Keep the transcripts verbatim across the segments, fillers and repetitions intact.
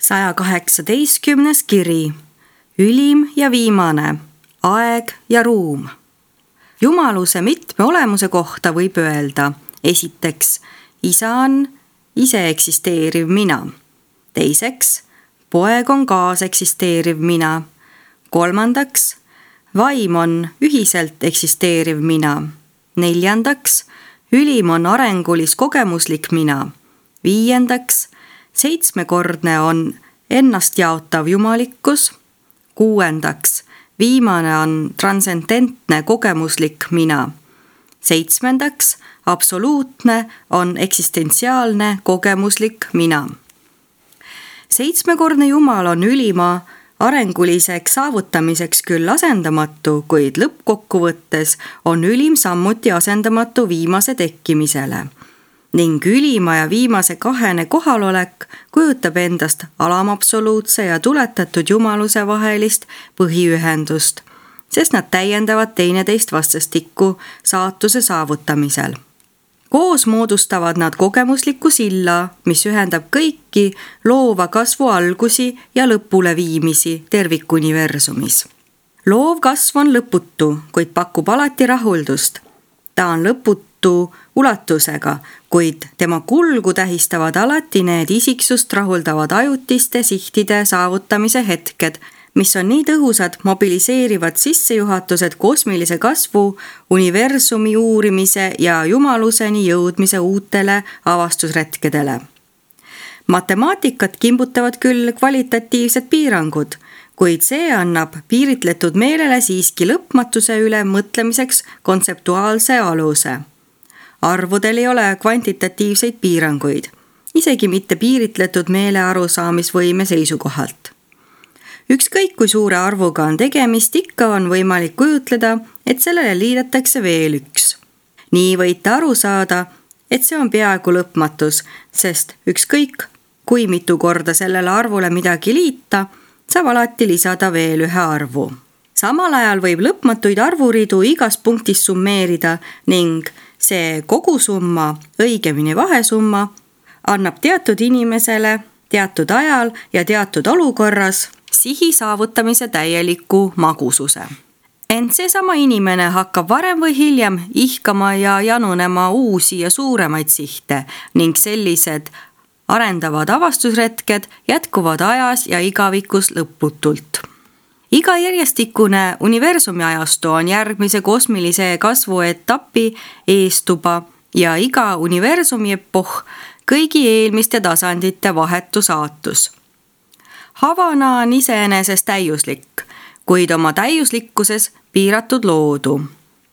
saja kaheksateistkümnes kiri, ülim ja viimane, aeg ja ruum. Jumaluse mitme olemuse kohta võib öelda, esiteks, isa on ise eksisteeriv mina. Teiseks, poeg on kaaseksisteeriv mina. Kolmandaks, vaim on ühiselt eksisteeriv mina. Neljandaks, ülim on arengulis kogemuslik mina. Viiendaks, seitsmekordne on ennast jaotav jumalikkus. Kuuendaks, viimane on transcendentne kogemuslik mina. Seitsmendaks, absoluutne on eksistentsiaalne kogemuslik mina. Seitsmekordne Jumal on ülima arenguliseks saavutamiseks küll asendamatu, kuid lõppkokkuvõttes on ülim sammuti asendamatu viimase tekkimisele. Ning ülima ja viimase kahene kohalolek kujutab endast alamabsoluutse ja tuletatud jumaluse vahelist põhiühendust, sest nad täiendavad teineteist vastastikku saatuse saavutamisel. Koos moodustavad nad kogemusliku silla, mis ühendab kõiki loova kasvu algusi ja lõpuleviimisi tervikuniversumis. Loov kasv on lõputu, kuid pakub alati rahuldust. Ta on lõputu ulatusega, kuid tema kulgu tähistavad alati need isiksust rahuldavad ajutiste sihtide saavutamise hetked, mis on nii tõhusad mobiliseerivad sissejuhatused kosmilise kasvu, universumi uurimise ja jumaluseni jõudmise uutele avastusretkedele. Matemaatikat kimbutavad küll kvalitatiivsed piirangud, kuid see annab piiritletud meelele siiski lõpmatuse üle mõtlemiseks kontseptuaalse aluse. Arvudel ei ole kvantitatiivseid piiranguid, isegi mitte piiritletud meele arusaamisvõime seisukohalt. Ükskõik kui suure arvuga on tegemist, ikka on võimalik kujutleda, et sellele liidetakse veel üks. Nii võite aru saada, et see on peaaegu lõpmatus, sest ükskõik kui mitu korda sellele arvule midagi liita, saab alati lisada veel ühe arvu. Samal ajal võib lõpmatuid arvuridu igas punktis summeerida ning see kogusumma, õigemini vahesumma, annab teatud inimesele, teatud ajal ja teatud olukorras sihi saavutamise täieliku magususe. Ent seesama inimene hakkab varem või hiljem ihkama ja janunema uusi ja suuremaid sihte ning sellised arendavad avastusretked jätkuvad ajas ja igavikus lõputult. Iga järjestikune universumi ajastu on järgmise kosmilise kasvu etapi eestuba ja iga universumi epohh kõigi eelmiste tasandite vahetu saatus. Havana on iseenesest täiuslik, kuid oma täiuslikkuses piiratud loodu.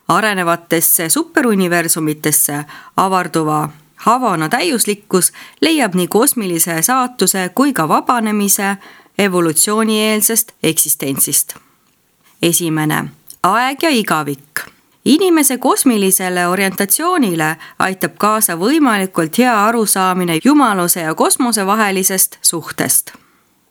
Arenevatesse superuniversumitesse avarduva Havana täiuslikkus leiab nii kosmilise saatuse kui ka vabanemise evolutsioonieelsest eksistentsist. Esimene, aeg ja igavik. Inimese kosmilisele orientatsioonile aitab kaasa võimalikult hea arusaamine jumaluse ja kosmose vahelisest suhtest.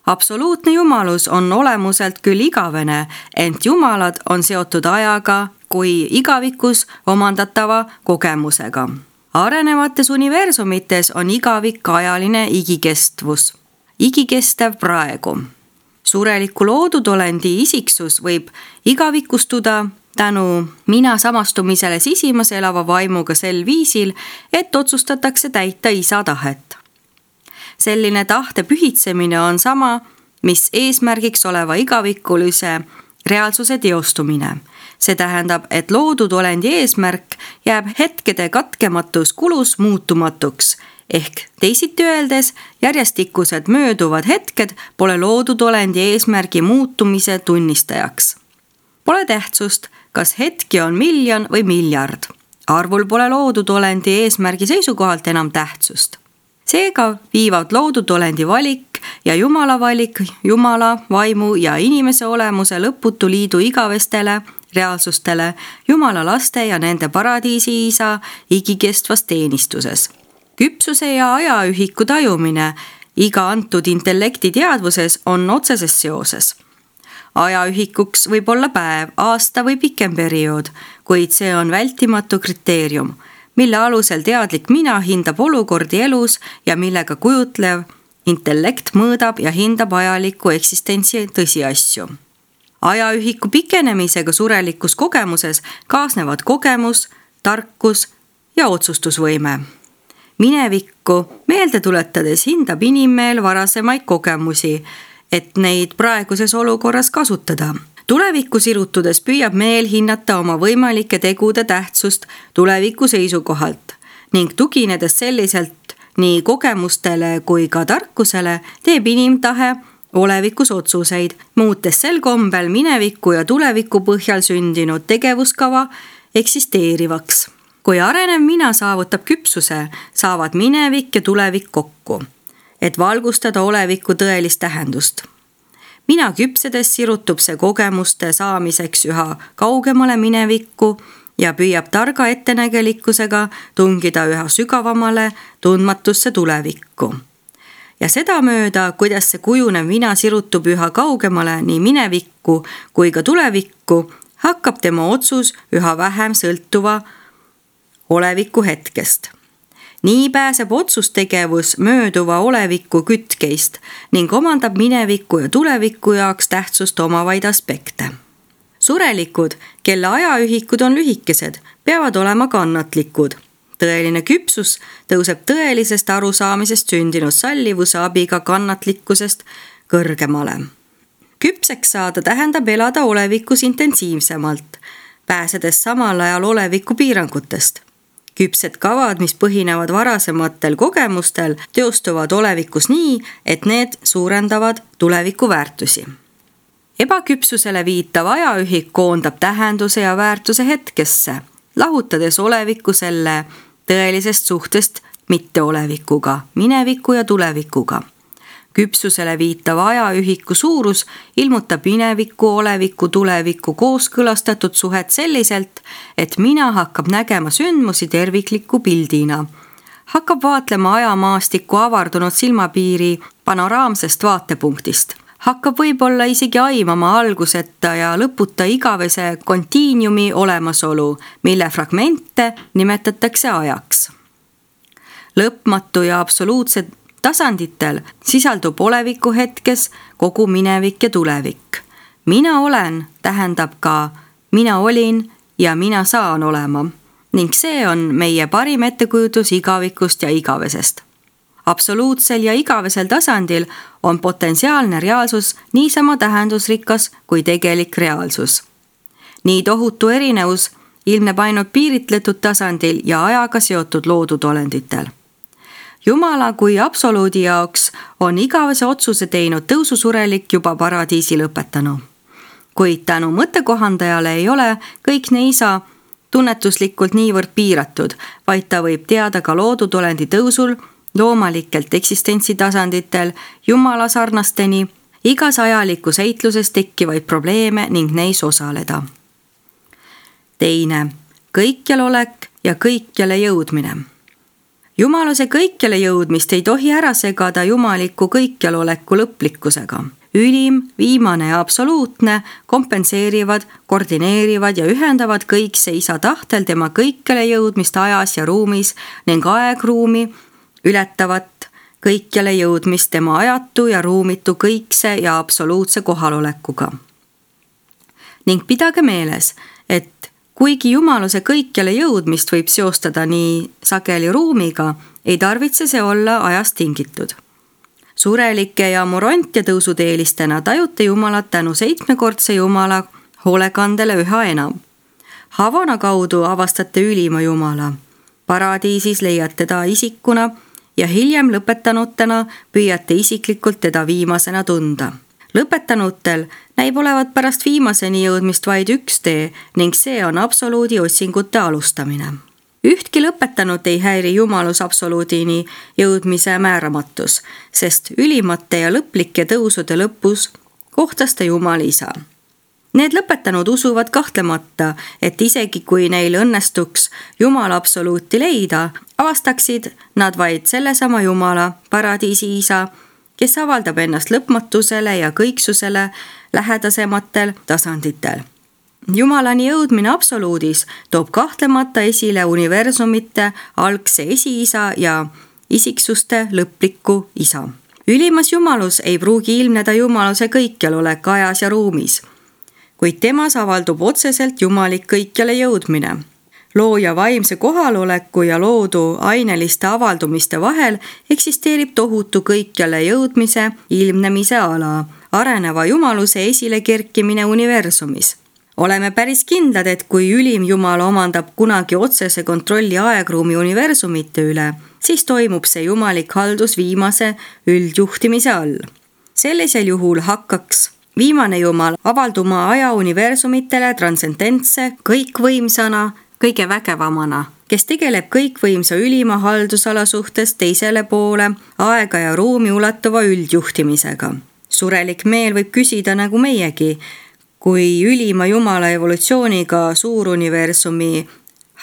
Absoluutne jumalus on olemuselt küll igavene, ent jumalad on seotud ajaga kui igavikus omandatava kogemusega. Arenevates universumites on igavik ajaline igikestvus. Igikestev praegu. Sureliku loodudolendi isiksus võib igavikustuda tänu mina samastumisele sisimas elava vaimuga sel viisil, et otsustatakse täita isa tahet. Selline tahte pühitsemine on sama, mis eesmärgiks oleva igavikulise reaalsuse teostumine. See tähendab, et loodudolendi eesmärk jääb hetkede katkematus kulus muutumatuks, ehk teisiti öeldes järjestikused mööduvad hetked pole loodudolendi eesmärgi muutumise tunnistajaks. Pole tähtsust, kas hetki on miljon või miljard. Arvul pole loodudolendi eesmärgi seisukohalt enam tähtsust. Seega viivad loodudolendi valik ja Jumala valik Jumala, vaimu ja inimese olemuse lõputu liidu igavestele reaalsustele Jumala laste ja nende paradiisi isa igikestvas teenistuses. Küpsuse ja ajaühiku tajumine iga antud intellekti teadvuses on otseses seoses. Ajaühikuks võib olla päev, aasta või pikem periood, kuid see on vältimatu kriteerium, mille alusel teadlik mina hindab olukordi elus ja millega kujutlev intellekt mõõdab ja hindab ajaliku eksistentsi tõsiasju. Ajaühiku pikenemisega surelikus kogemuses kaasnevad kogemus, tarkus ja otsustusvõime. Minevikku meelde tuletades hindab inimmeel varasemaid kogemusi, et neid praeguses olukorras kasutada. Tulevikku sirutudes püüab meel hinnata oma võimalike tegude tähtsust tuleviku seisukohalt ning tuginedes selliselt nii kogemustele kui ka tarkusele teeb inimtahe olevikus otsuseid, muutes sel kombel mineviku ja tuleviku põhjal sündinud tegevuskava eksisteerivaks. Kui arenev mina saavutab küpsuse, saavad minevik ja tulevik kokku, et valgustada oleviku tõelist tähendust. Mina küpsedes sirutub see kogemuste saamiseks üha kaugemale minevikku ja püüab targa ettenägelikkusega tungida üha sügavamale tundmatusse tulevikku. Ja seda mööda, kuidas see kujunev mina sirutub üha kaugemale nii minevikku kui ka tulevikku, hakkab tema otsus üha vähem sõltuva oleviku hetkest. Nii pääseb otsustegevus mööduva oleviku kütkeist ning omandab mineviku ja tuleviku jaoks tähtsust omavaid aspekte. Surelikud, kelle ajaühikud on lühikesed, peavad olema kannatlikud. Tõeline küpsus tõuseb tõelisest arusaamisest sündinud sallivuse abiga kannatlikkusest kõrgemale. Küpseks saada tähendab elada olevikus intensiivsemalt, pääsedes samal ajal oleviku piirangutest. Küpsed kavad, mis põhinevad varasematel kogemustel, teostuvad olevikus nii, et need suurendavad tuleviku väärtusi. Ebaküpsusele viitav ajaühik koondab tähenduse ja väärtuse hetkesse, lahutades oleviku selle tõelisest suhtest mitteolevikuga, mineviku ja tulevikuga. Küpsusele viitav ajaühiku suurus ilmutab mineviku, oleviku, tuleviku kooskõlastatud suhet selliselt, et mina hakkab nägema sündmusi tervikliku pildina. Hakkab vaatlema ajamaastikku avardunud silmapiiri panoraamsest vaatepunktist. Hakkab võib-olla isegi aimama alguseta ja lõputa igavese kontiiniumi olemasolu, mille fragmente nimetatakse ajaks. Lõpmatu ja absoluutse tasanditel sisaldub oleviku hetkes kogu minevik ja tulevik. Mina olen tähendab ka mina olin ja mina saan olema ning see on meie parim ettekujutus igavikust ja igavesest. Absoluutsel ja igavesel tasandil on potentsiaalne reaalsus niisama tähendusrikas kui tegelik reaalsus. Nii tohutu erinevus ilmneb ainult piiritletud tasandil ja ajaga seotud loodud olenditel. Jumala kui absoluudi jaoks on igavese otsuse teinud tõususurelik juba paradiisi lõpetanu. Kuid tänu mõttekohandajale ei ole kõik neisa tunnetuslikult niivõrd piiratud, vaid ta võib teada ka loodud olendi tõusul loomalikelt eksistentsitasanditel Jumala sarnasteni, igas ajalikus eitluses tekkivaid probleeme ning neis osaleda. Teine, kõikjal olek ja kõikjale jõudmine. Jumaluse kõikjale jõudmist ei tohi ära segada jumaliku kõikjaloleku lõplikkusega. Ülim, viimane ja absoluutne kompenseerivad, koordineerivad ja ühendavad kõikse isa tahtel tema kõikjale jõudmist ajas ja ruumis ning aegruumi ületavat kõikjale jõudmist tema ajatu ja ruumitu kõikse ja absoluutse kohalolekuga. Ning pidage meeles, et kuigi jumaluse kõikjale jõudmist võib seostada nii sageli ruumiga, ei tarvitse see olla ajast tingitud. Surelike ja morontia tõusuteelistena tajute Jumalat tänu seitsmekordse Jumala hoolekandele üha enam. Havana kaudu avastate ülima Jumala. Paradiisis leiate teda isikuna ja hiljem lõpetanutena püüate isiklikult teda viimasena tunda. Lõpetanutel näib olevat pärast viimaseni jõudmist vaid üks tee ning see on absoluudi otsingute alustamine. Ühtki lõpetanut ei häiri jumalus absoluudini jõudmise määramatus, sest ülimate ja lõplike tõusude lõpus kohtas ta Jumala isa. Need lõpetanud usuvad kahtlemata, et isegi kui neil õnnestuks Jumala absoluuti leida, avastaksid nad vaid sellesama Jumala, paradiisi isa, kes avaldab ennast lõpmatusele ja kõiksusele lähedasematel tasanditel. Jumalani jõudmine absoluudis toob kahtlemata esile universumite algse esiisa ja isiksuste lõplikku isa. Ülimas jumalus ei pruugi ilmneda jumaluse kõikjalolek ajas ja ruumis, kuid temas avaldub otseselt jumalik kõikjale jõudmine. Looja vaimse kohaloleku ja loodu aineliste avaldumiste vahel eksisteerib tohutu kõikjale jõudmise ilmnemise ala, areneva jumaluse esile kerkimine universumis. Oleme päris kindlad, et kui ülim jumal omandab kunagi otsese kontrolli aegruumi universumite üle, siis toimub see jumalik haldus viimase üldjuhtimise all. Sellisel juhul hakkaks viimane jumal avalduma aja universumitele transcendentse kõikvõimsana, kõige vägevamana, kes tegeleb kõikvõimsa ülima haldusala suhtes teisele poole aega ja ruumi ulatuva üldjuhtimisega. Surelik meel võib küsida nagu meiegi, kui ülima jumala evolutsiooniga suuruniversumi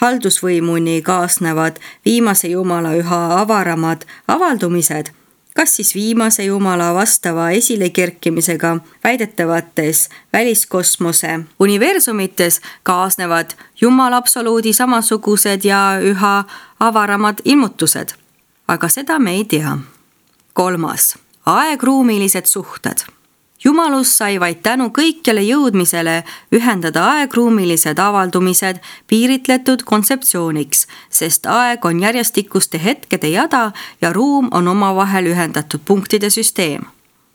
haldusvõimuni kaasnevad viimase jumala üha avaramad avaldumised, kas siis viimase jumala vastava esilekerkimisega väidetavates väliskosmose universumites kaasnevad jumala absoluudi samasugused ja üha avaramad ilmutused. Aga seda me ei tea. Kolmas. Aegruumilised suhted. Jumalus sai vaid tänu kõikjale jõudmisele ühendada aegruumilised avaldumised piiritletud kontseptsiooniks, sest aeg on järjestikuste hetkede jada ja ruum on omavahel ühendatud punktide süsteem.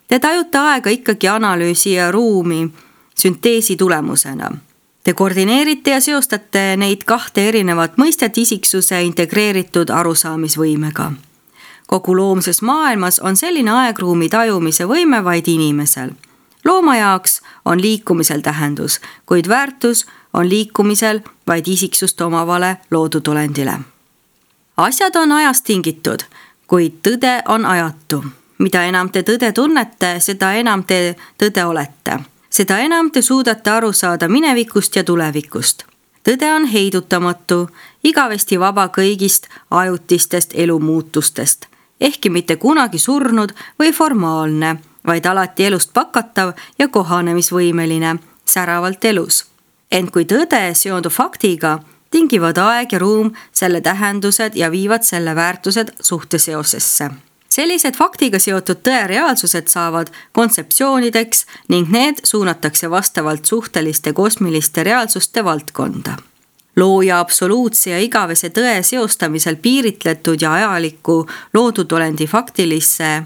Te tajute aega ikkagi analüüsi ja ruumi sünteesi tulemusena. Te koordineerite ja seostate neid kahte erinevat mõistet isiksuse integreeritud arusaamisvõimega. Kogu loomses maailmas on selline aegruumi tajumise võime vaid inimesel. Looma jaoks on liikumisel tähendus, kuid väärtus on liikumisel vaid isiksust omavale loodud olendile. Asjad on ajast tingitud, kuid tõde on ajatu. Mida enam te tõde tunnete, seda enam te tõde olete. Seda enam te suudate aru saada minevikust ja tulevikust. Tõde on heidutamatu, igavesti vaba kõigist ajutistest elumuutustest. Ehkki mitte kunagi surnud või formaalne, vaid alati elust pakatav ja kohanemisvõimeline, säravalt elus. Ent kui tõde seondub faktiga, tingivad aeg ja ruum selle tähendused ja viivad selle väärtused suhteseosesse. Sellised faktiga seotud tõe reaalsused saavad kontseptsioonideks ning need suunatakse vastavalt suhteliste kosmiliste reaalsuste valdkonda. Looja absoluutse ja igavese tõe seostamisel piiritletud ja ajaliku loodud olendi faktilisse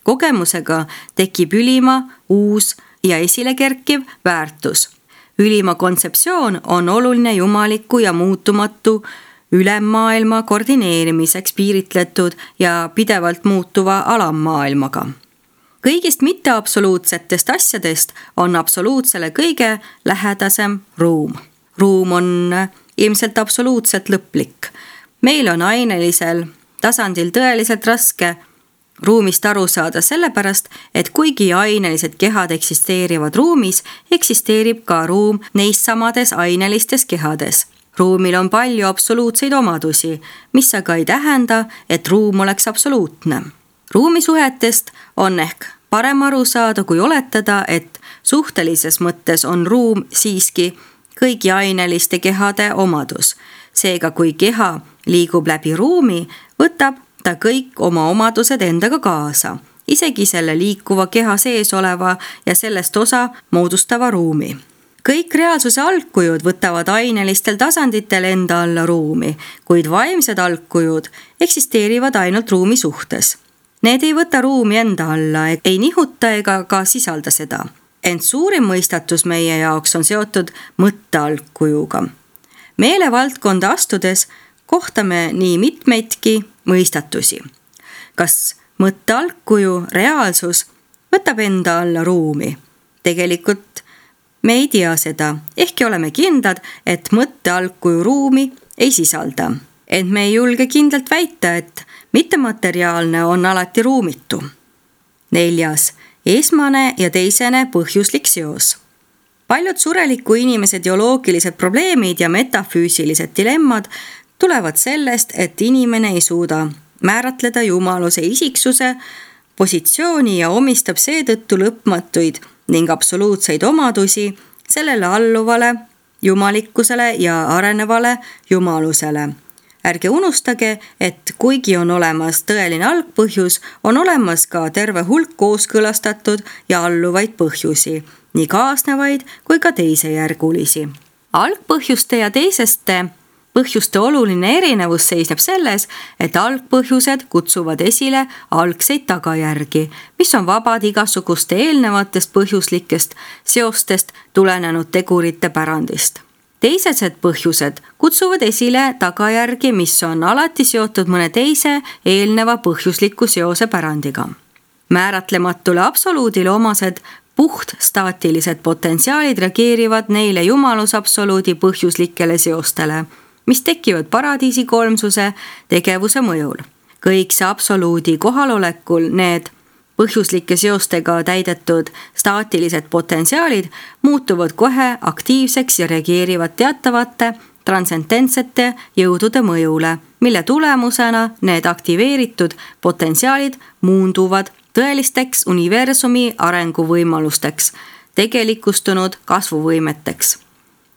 kogemusega tekib ülima, uus ja esile kerkiv väärtus. Ülima kontseptsioon on oluline jumaliku ja muutumatu ülemmaailma koordineerimiseks piiritletud ja pidevalt muutuva alammaailmaga. Kõigist mitteabsoluutsetest asjadest on absoluutsele kõige lähedasem ruum. Ruum on ilmselt absoluutselt lõplik. Meil on ainelisel tasandil tõeliselt raske ruumist aru saada sellepärast, et kuigi ainelised kehad eksisteerivad ruumis, eksisteerib ka ruum neis samades ainelistes kehades. Ruumil on palju absoluutseid omadusi, mis aga ei tähenda, et ruum oleks absoluutne. Ruumisuhetest on ehk parem aru saada, kui oletada, et suhtelises mõttes on ruum siiski kõigi aineliste kehade omadus. Seega, kui keha liigub läbi ruumi, võtab ta kõik oma omadused endaga kaasa, isegi selle liikuva keha sees oleva ja sellest osa moodustava ruumi. Kõik reaalsuse algkujud võtavad ainelistel tasanditel enda alla ruumi, kuid vaimsed algkujud eksisteerivad ainult ruumi suhtes. Need ei võta ruumi enda alla, ei nihuta ega ka sisalda seda. Ent suurim mõistatus meie jaoks on seotud mõttealgkujuga. Meelevaldkonda astudes kohtame nii mitmeidki mõistatusi. Kas mõttealgkuju reaalsus võtab enda alla ruumi? Tegelikult me ei tea seda, ehkki oleme kindlad, et mõttealgkuju ruumi ei sisalda. Ent me ei julge kindlalt väita, et mittemateriaalne on alati ruumitu. Neljas. Esmane ja teisene põhjuslik seos. Paljud sureliku inimese teoloogilised probleemid ja metafüüsilised dilemmad tulevad sellest, et inimene ei suuda määratleda jumaluse isiksuse positsiooni ja omistab seetõttu lõpmatuid ning absoluutseid omadusi sellele alluvale jumalikkusele ja arenevale jumalusele. ärge unustage, et kuigi on olemas tõeline algpõhjus, on olemas ka terve hulk kooskõlastatud ja alluvaid põhjusi, nii kaasnevaid kui ka teisejärgulisi. Algpõhjuste ja teiseste põhjuste oluline erinevus seisneb selles, et algpõhjused kutsuvad esile algseid tagajärgi, mis on vabad igasuguste eelnevatest põhjuslikest seostest tulenenud tegurite pärandist. Teised põhjused kutsuvad esile tagajärgi, mis on alati seotud mõne teise eelneva põhjusliku seose pärandiga. Määratlematule absoluudile omased puht staatilised potentsiaalid reageerivad neile jumalusabsoluudi põhjuslikele seostele, mis tekivad paradiisi kolmsuse tegevuse mõjul. Kõik see absoluudi kohalolekul need põhjuslike seostega täidetud staatilised potentsiaalid muutuvad kohe aktiivseks ja reageerivad teatavate transcendentsete jõudude mõjule, mille tulemusena need aktiveeritud potentsiaalid muunduvad tõelisteks universumi arenguvõimalusteks, tegelikustunud kasvuvõimeteks.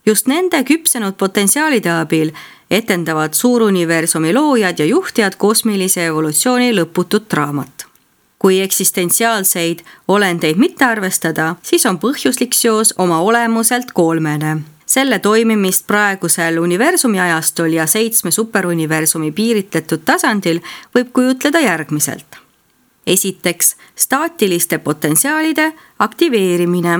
Just nende küpsenud potentsiaalide abil etendavad suuruniversumi loojad ja juhtijad kosmilise evolutsiooni lõputut draamat. Kui eksistentsiaalseid olendeid mitte arvestada, siis on põhjuslik seos oma olemuselt kolmene. Selle toimimist praegusel universumi ajastul ja seitsme superuniversumi piiritletud tasandil võib kujutleda järgmiselt. Esiteks, staatiliste potentsiaalide aktiveerimine.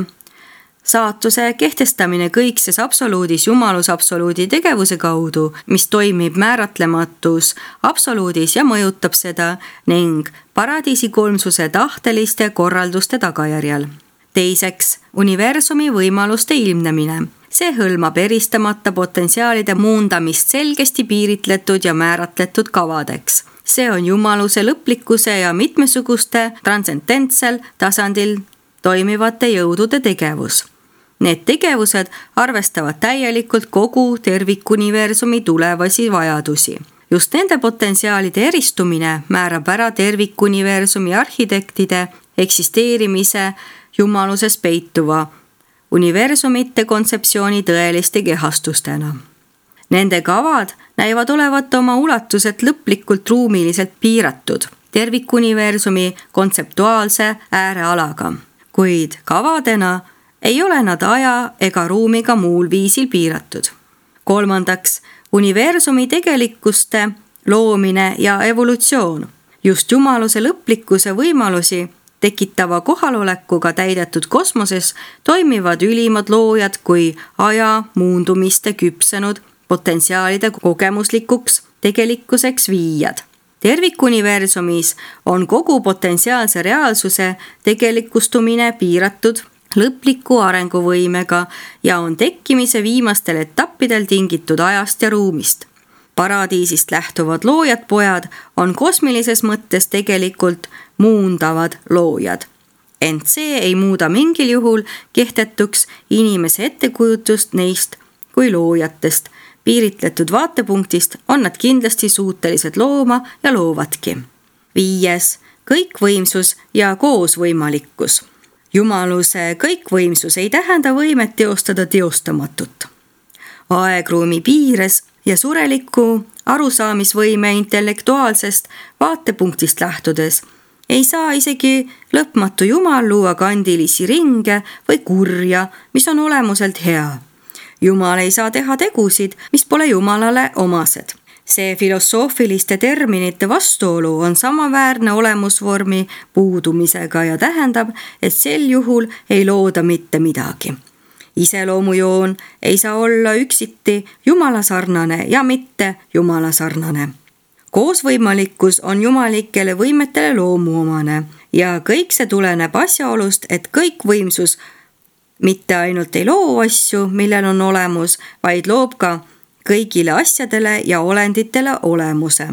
Saatuse kehtestamine kõikses absoluudis jumalusabsoluudi tegevuse kaudu, mis toimib määratlematus absoluudis ja mõjutab seda ning paradiisi kolmsuse tahteliste korralduste tagajärjel. Teiseks, universumi võimaluste ilmnemine. See hõlmab eristamata potentsiaalide muundamist selgesti piiritletud ja määratletud kavadeks. See on jumaluse lõplikkuse ja mitmesuguste transcendentsel tasandil toimivate jõudude tegevus. Need tegevused arvestavad täielikult kogu tervikuniversumi tulevasi vajadusi. Just nende potentsiaalide eristumine määrab ära tervikuniversumi arhitektide eksisteerimise jumaluses peituva universumite kontseptsiooni tõeliste kehastustena. Nende kavad näivad olevat oma ulatuselt lõplikult ruumiliselt piiratud tervikuniversumi kontseptuaalse äärealaga, kuid kavadena ei ole nad aja ega ruumiga muul viisil piiratud. Kolmandaks, universumi tegelikkuste loomine ja evolutsioon. Just jumaluse lõplikkuse võimalusi tekitava kohalolekuga täidetud kosmoses toimivad ülimad loojad kui aja muundumiste küpsenud potentsiaalide kogemuslikuks tegelikkuseks viijad. Tervikuniversumis on kogu potentsiaalse reaalsuse tegelikustumine piiratud lõpliku arenguvõimega ja on tekkimise viimastel etappidel tingitud ajast ja ruumist. Paradiisist lähtuvad loojad pojad on kosmilises mõttes tegelikult muundavad loojad. Ent see ei muuda mingil juhul kehtetuks inimese ettekujutust neist kui loojatest. Piiritletud vaatepunktist on nad kindlasti suutelised looma ja loovadki. Viies, kõikvõimsus ja koosvõimalikkus. Jumaluse kõikvõimsus ei tähenda võimet teostada teostamatut. Aegruumi piires ja sureliku arusaamisvõime intellektuaalsest vaatepunktist lähtudes ei saa isegi lõpmatu jumal luua kandilisi ringe või kurja, mis on olemuselt hea. Jumal ei saa teha tegusid, mis pole Jumalale omased. See filosoofiliste terminite vastuolu on samaväärne olemusvormi puudumisega ja tähendab, et sel juhul ei looda mitte midagi. Iseloomujoon ei saa olla üksiti jumalasarnane ja mitte jumalasarnane. Koosvõimalikkus on jumalikele võimetele loomuomane ja kõik see tuleneb asjaolust, et kõikvõimsus mitte ainult ei loo asju, millel on olemus, vaid loob ka kõigile asjadele ja olenditele olemuse.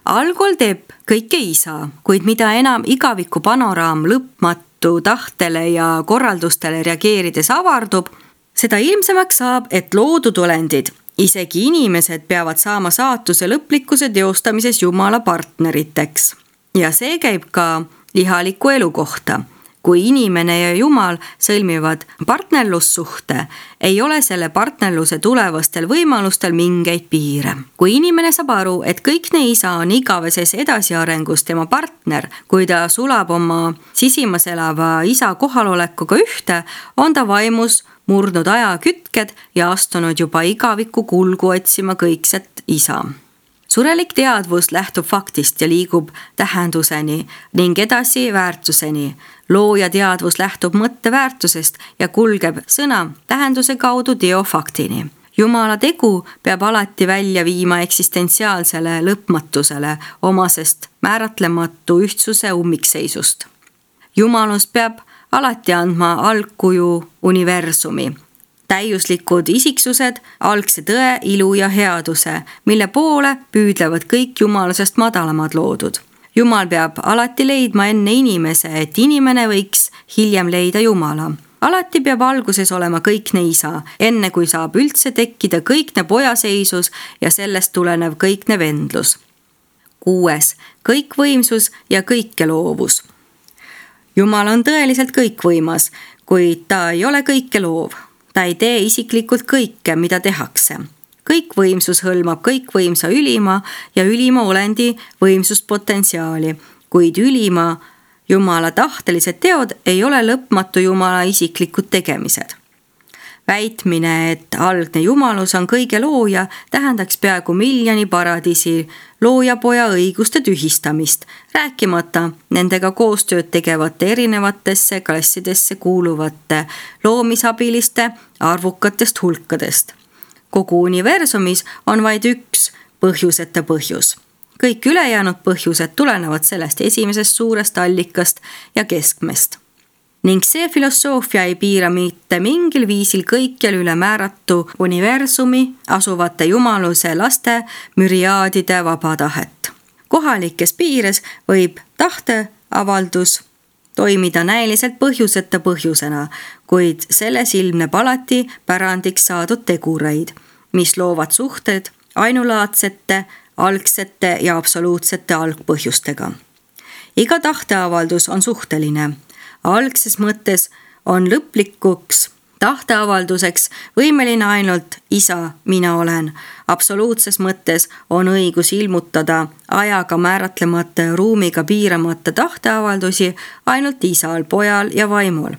Algul teeb kõike isa, kuid mida enam igaviku panoraam lõpmatu tahtele ja korraldustele reageerides avardub, seda ilmsemaks saab, et loodud olendid, isegi inimesed peavad saama saatuse lõplikkuse teostamises Jumala partneriteks. Ja see käib ka lihaliku elu kohta. Kui inimene ja Jumal sõlmivad partnerlussuhte, ei ole selle partnerluse tulevastel võimalustel mingeid piire. Kui inimene saab aru, et kõikne isa on igaveses edasiarengus tema partner, kui ta sulab oma sisimas elava isa kohalolekuga ühte, on ta vaimus murdnud aja kütked ja astunud juba igaviku kulgu otsima kõikset isa. Surelik teadvus lähtub faktist ja liigub tähenduseni ning edasi väärtuseni. Looja teadvus lähtub mõtteväärtusest ja kulgeb sõna tähenduse kaudu teofaktini. Jumala tegu peab alati välja viima eksistentsiaalsele lõpmatusele omasest määratlematu ühtsuse ummikseisust. Jumalus peab alati andma algkuju universumi. Täiuslikud isiksused, algse tõe, ilu ja headuse, mille poole püüdlevad kõik jumalusest madalamad loodud. Jumal peab alati leidma enne inimese, et inimene võiks hiljem leida Jumala. Alati peab alguses olema kõikne isa, enne kui saab üldse tekkida kõikne pojaseisus ja sellest tulenev kõikne vendlus. Kuues, kõikvõimsus ja kõikeloovus. Jumal on tõeliselt kõikvõimas, kuid ta ei ole kõike loov. Ta ei tee isiklikult kõike, mida tehakse. Kõikvõimsus hõlmab kõikvõimsa ülima ja ülima olendi võimsuspotentsiaali, kuid ülima Jumala tahtelised teod ei ole lõpmatu Jumala isiklikud tegemised. Väitmine, et algne Jumalus on kõige looja, tähendaks peaaegu miljoni paradiisi loojapoja õiguste tühistamist, rääkimata nendega koostööd tegevate erinevatesse klassidesse kuuluvate loomisabiliste arvukatest hulkadest. Kogu universumis on vaid üks põhjuseta põhjus. Kõik ülejäänud põhjused tulenevad sellest esimesest suurest allikast ja keskmest. Ning see filosoofia ei piira mitte mingil viisil kõikjal ülemääratu universumi asuvate jumaluse laste müriaadide vaba tahet. Kohalikes piires võib tahteavaldus toimida näiliselt põhjuseta põhjusena, kuid selles ilmneb alati pärandiks saadud tegureid, mis loovad suhted ainulaadsete, algsete ja absoluutsete algpõhjustega. Iga tahteavaldus on suhteline. Algses mõttes on lõplikuks tahteavalduseks võimeline ainult isa, mina olen. Absoluutses mõttes on õigus ilmutada ajaga määratlemata ja ruumiga piiramata tahteavaldusi ainult isal, pojal ja vaimul.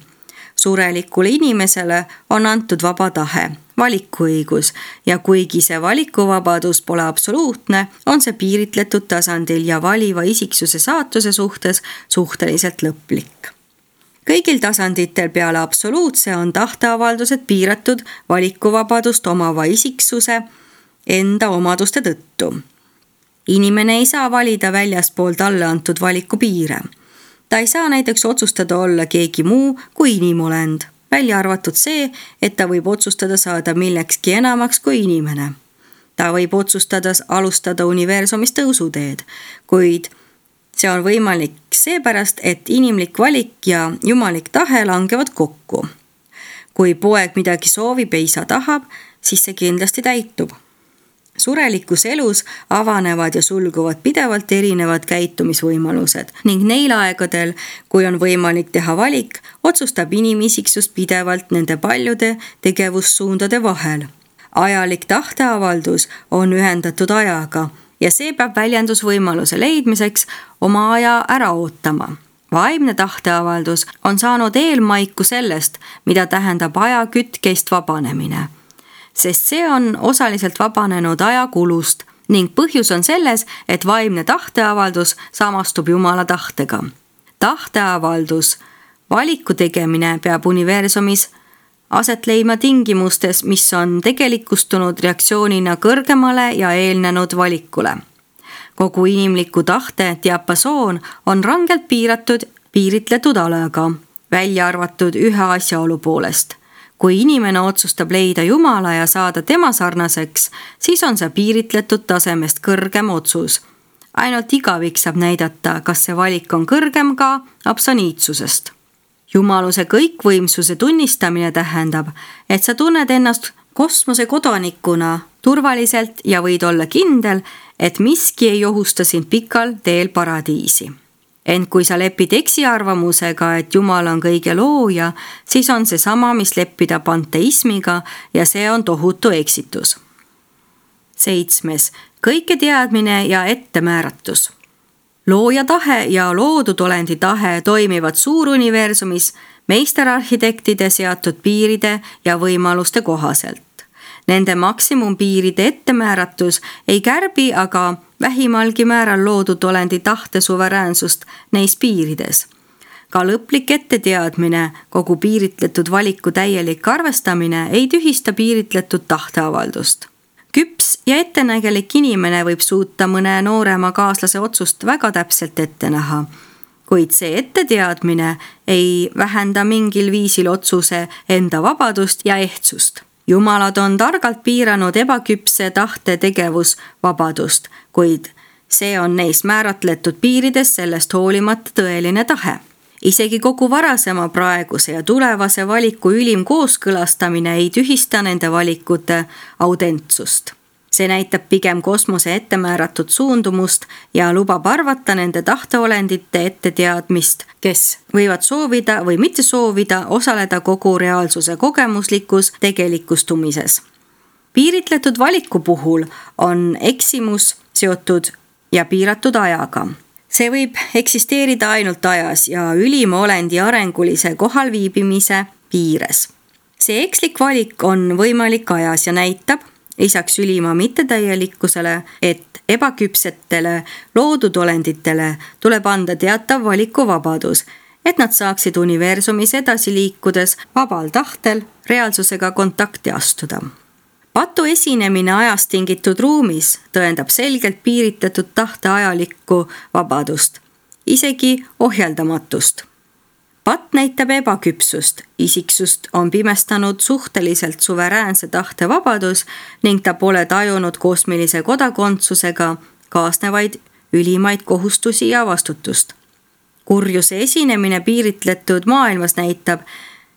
Surelikule inimesele on antud vaba tahe, valikuõigus ja kuigi see valikuvabadus pole absoluutne, on see piiritletud tasandil ja valiva isiksuse saatuse suhtes suhteliselt lõplik. Kõigil tasanditel peale absoluutse on tahteavaldused piiratud valikuvabadust omava isiksuse enda omaduste tõttu. Inimene ei saa valida väljaspoolt alle antud valiku piire. Ta ei saa näiteks otsustada olla keegi muu kui inimolend, välja arvatud see, et ta võib otsustada saada millekski enamaks kui inimene. Ta võib otsustada alustada universumis tõusuteed, kuid see on võimalik seepärast, et inimlik valik ja jumalik tahe langevad kokku. Kui poeg midagi soovib ja isa tahab, siis see kindlasti täitub. Surelikus elus avanevad ja sulguvad pidevalt erinevad käitumisvõimalused ning neil aegadel, kui on võimalik teha valik, otsustab inimisiksus pidevalt nende paljude tegevussuundade vahel. Ajalik tahteavaldus on ühendatud ajaga ja see peab väljendusvõimaluse leidmiseks oma aja ära ootama. Vaimne tahteavaldus on saanud eelmaiku sellest, mida tähendab aja kütkeist vabanemine, sest see on osaliselt vabanenud ajakulust ning põhjus on selles, et vaimne tahteavaldus samastub Jumala tahtega. Tahteavaldus, valiku tegemine peab universumis aset leima tingimustes, mis on tegelikustunud reaktsioonina kõrgemale ja eelnenud valikule. Kogu inimliku tahte diapasoon on rangelt piiratud, piiritletud alaga, välja arvatud ühe asjaolu poolest. Kui inimene otsustab leida Jumala ja saada tema sarnaseks, siis on see piiritletud tasemest kõrgem otsus. Ainult igavik saab näidata, kas see valik on kõrgem ka absoniitsusest. Jumaluse kõikvõimsuse tunnistamine tähendab, et sa tunned ennast kosmose kodanikuna turvaliselt ja võid olla kindel, et miski ei ohusta sind pikal teel paradiisi. Ent kui sa lepid eksiarvamusega, et Jumal on kõige looja, siis on see sama, mis leppida panteismiga ja see on tohutu eksitus. Seitsmes. Kõike teadmine ja ettemääratus. Looja tahe ja loodud olendi tahe toimivad suuruniversumis meisterarhitektide seatud piiride ja võimaluste kohaselt. Nende maksimumpiiride ettemääratus ei kärbi aga vähimalgi määral loodud olendi tahte suveräänsust neis piirides. Ka lõplik etteteadmine, kogu piiritletud valiku täielik arvestamine ei tühista piiritletud tahteavaldust. Küps ja ettenägelik inimene võib suuta mõne noorema kaaslase otsust väga täpselt ette näha, kuid see etteteadmine ei vähenda mingil viisil otsuse enda vabadust ja ehtsust. Jumalad on targalt piiranud ebaküpse tahte tegevusvabadust, kuid see on neis määratletud piirides sellest hoolimata tõeline tahe. Isegi kogu varasema, praeguse ja tulevase valiku ülim kooskõlastamine ei tühista nende valikute autentsust. See näitab pigem kosmose ettemääratud suundumust ja lubab arvata nende tahteolendite etteteadmist, kes võivad soovida või mitte soovida osaleda kogu reaalsuse kogemuslikus tegelikustumises. Piiritletud valiku puhul on eksimus seotud ja piiratud ajaga. See võib eksisteerida ainult ajas ja ülima olendi arengulise kohalviibimise piires. See ekslik valik on võimalik ajas ja näitab, lisaks ülima mittetäielikkusele, et ebaküpsetele loodud olenditele tuleb anda teatav valikuvabadus, et nad saaksid universumis edasi liikudes vabal tahtel reaalsusega kontakti astuda. Patu esinemine ajast tingitud ruumis tõendab selgelt piiritletud tahte ajalikku vabadust, isegi ohjeldamatust. Pat näitab ebaküpsust, isiksust on pimestanud suhteliselt suveräänse tahte vabadus ning ta pole tajunud kosmilise kodakondsusega kaasnevaid ülimaid kohustusi ja vastutust. Kurjuse esinemine piiritletud maailmas näitab,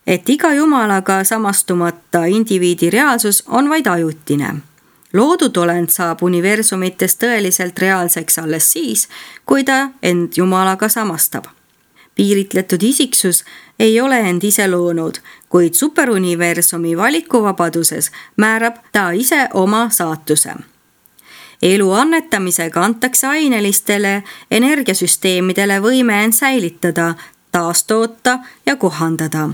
et iga jumalaga samastumata indiviidi reaalsus on vaid ajutine. Loodud olend saab universumites tõeliselt reaalseks alles siis, kui ta end jumalaga samastab. Piiritletud isiksus ei ole end ise loonud, kuid superuniversumi valikuvabaduses määrab ta ise oma saatuse. Elu annetamisega antakse ainelistele energiasüsteemidele võime end säilitada, taastoota ja kohandada.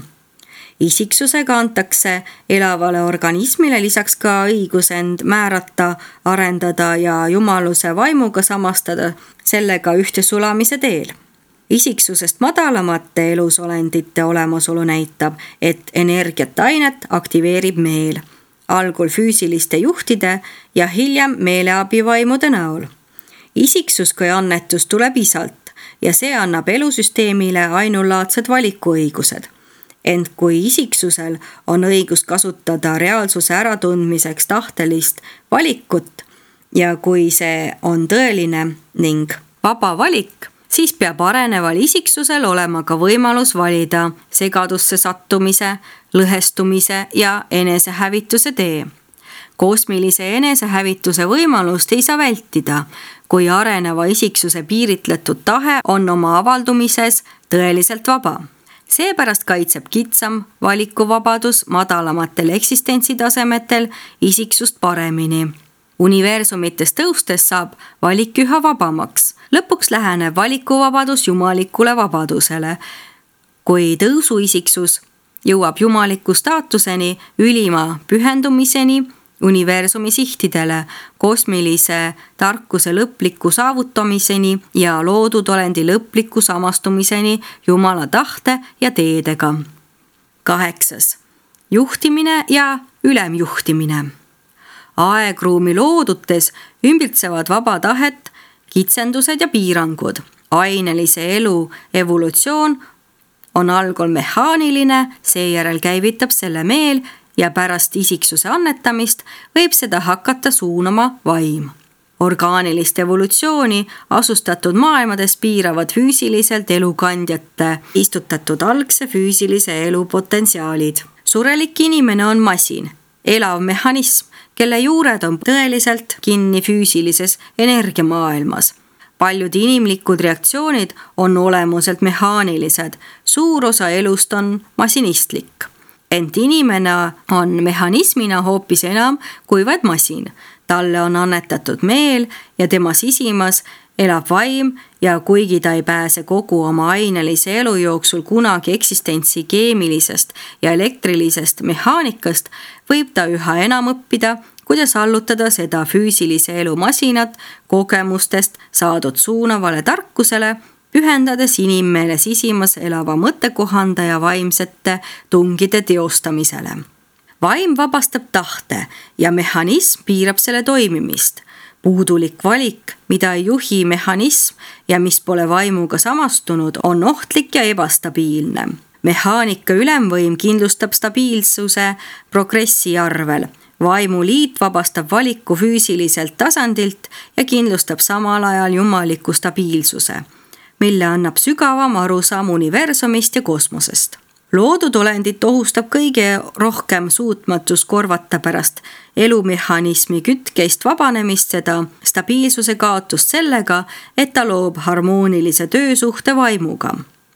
Isiksusega antakse elavale organismile lisaks ka õigus end määrata, arendada ja jumaluse vaimuga samastada sellega ühte sulamise teel. Isiksusest madalamate elusolendite olemasolu näitab, et energiat ainet aktiveerib meel, algul füüsiliste juhtide ja hiljem meeleabivaimude näol. Isiksus kui annetus tuleb isalt ja see annab elusüsteemile ainulaadsed valikuõigused. Ent kui isiksusel on õigus kasutada reaalsuse äratundmiseks tahtelist valikut ja kui see on tõeline ning vaba valik, siis peab areneval isiksusel olema ka võimalus valida segadusse sattumise, lõhestumise ja enesehävituse tee. Kosmilise enesehävituse võimalust ei saa vältida, kui areneva isiksuse piiritletud tahe on oma avaldumises tõeliselt vaba. Seepärast kaitseb kitsam valikuvabadus madalamatel eksistentsitasemetel isiksust paremini. Universumites tõustes saab valik üha vabamaks. Lõpuks läheneb valikuvabadus jumalikule vabadusele. Kui tõusuisiksus jõuab jumaliku staatuseni, ülima pühendumiseni, universumi sihtidele, kosmilise tarkuse lõpliku saavutamiseni ja loodud olendi lõpliku samastumiseni Jumala tahte ja teedega. Kaheksas. Juhtimine ja ülemjuhtimine. Aegruumi loodutes ümbritsevad vaba tahet kitsendused ja piirangud. Ainelise elu evolutsioon on algul mehaaniline, seejärel käivitab selle meel ja pärast isiksuse annetamist võib seda hakata suunama vaim. Orgaanilist evolutsiooni asustatud maailmades piiravad füüsiliselt elukandjate istutatud algse füüsilise elu potentsiaalid. Surelik inimene on masin, elav mehhanism, kelle juured on tõeliselt kinni füüsilises energiamaailmas. Paljud inimlikud reaktsioonid on olemuselt mehaanilised, suur osa elust on masinistlik. Ent inimene on mehhanismina hoopis enam kui vaid masin. Talle on annetatud meel ja tema sisimas elab vaim ja kuigi ta ei pääse kogu oma ainelise elu jooksul kunagi eksistentsi keemilisest ja elektrilisest mehaanikast, võib ta üha enam õppida, kuidas allutada seda füüsilise elu masinat kogemustest saadud suunavale tarkusele, pühendades inimmeele sisimas elava mõttekohanda ja vaimsete tungide teostamisele. Vaim vabastab tahte ja mehhanism piirab selle toimimist. Puudulik valik, mida ei juhi mehhanism ja mis pole vaimuga samastunud, on ohtlik ja ebastabiilne. Mehaanika ülemvõim kindlustab stabiilsuse progressi arvel. Vaimuliit vabastab valiku füüsiliselt tasandilt ja kindlustab samal ajal jumaliku stabiilsuse, mille annab sügavam arusaam universumist ja kosmosest. Loodud olendit ohustab kõige rohkem suutmatus korvata pärast elumehhanismi kütkeist vabanemist seda stabiilsuse kaotust sellega, et ta loob harmoonilise töösuhte vaimuga.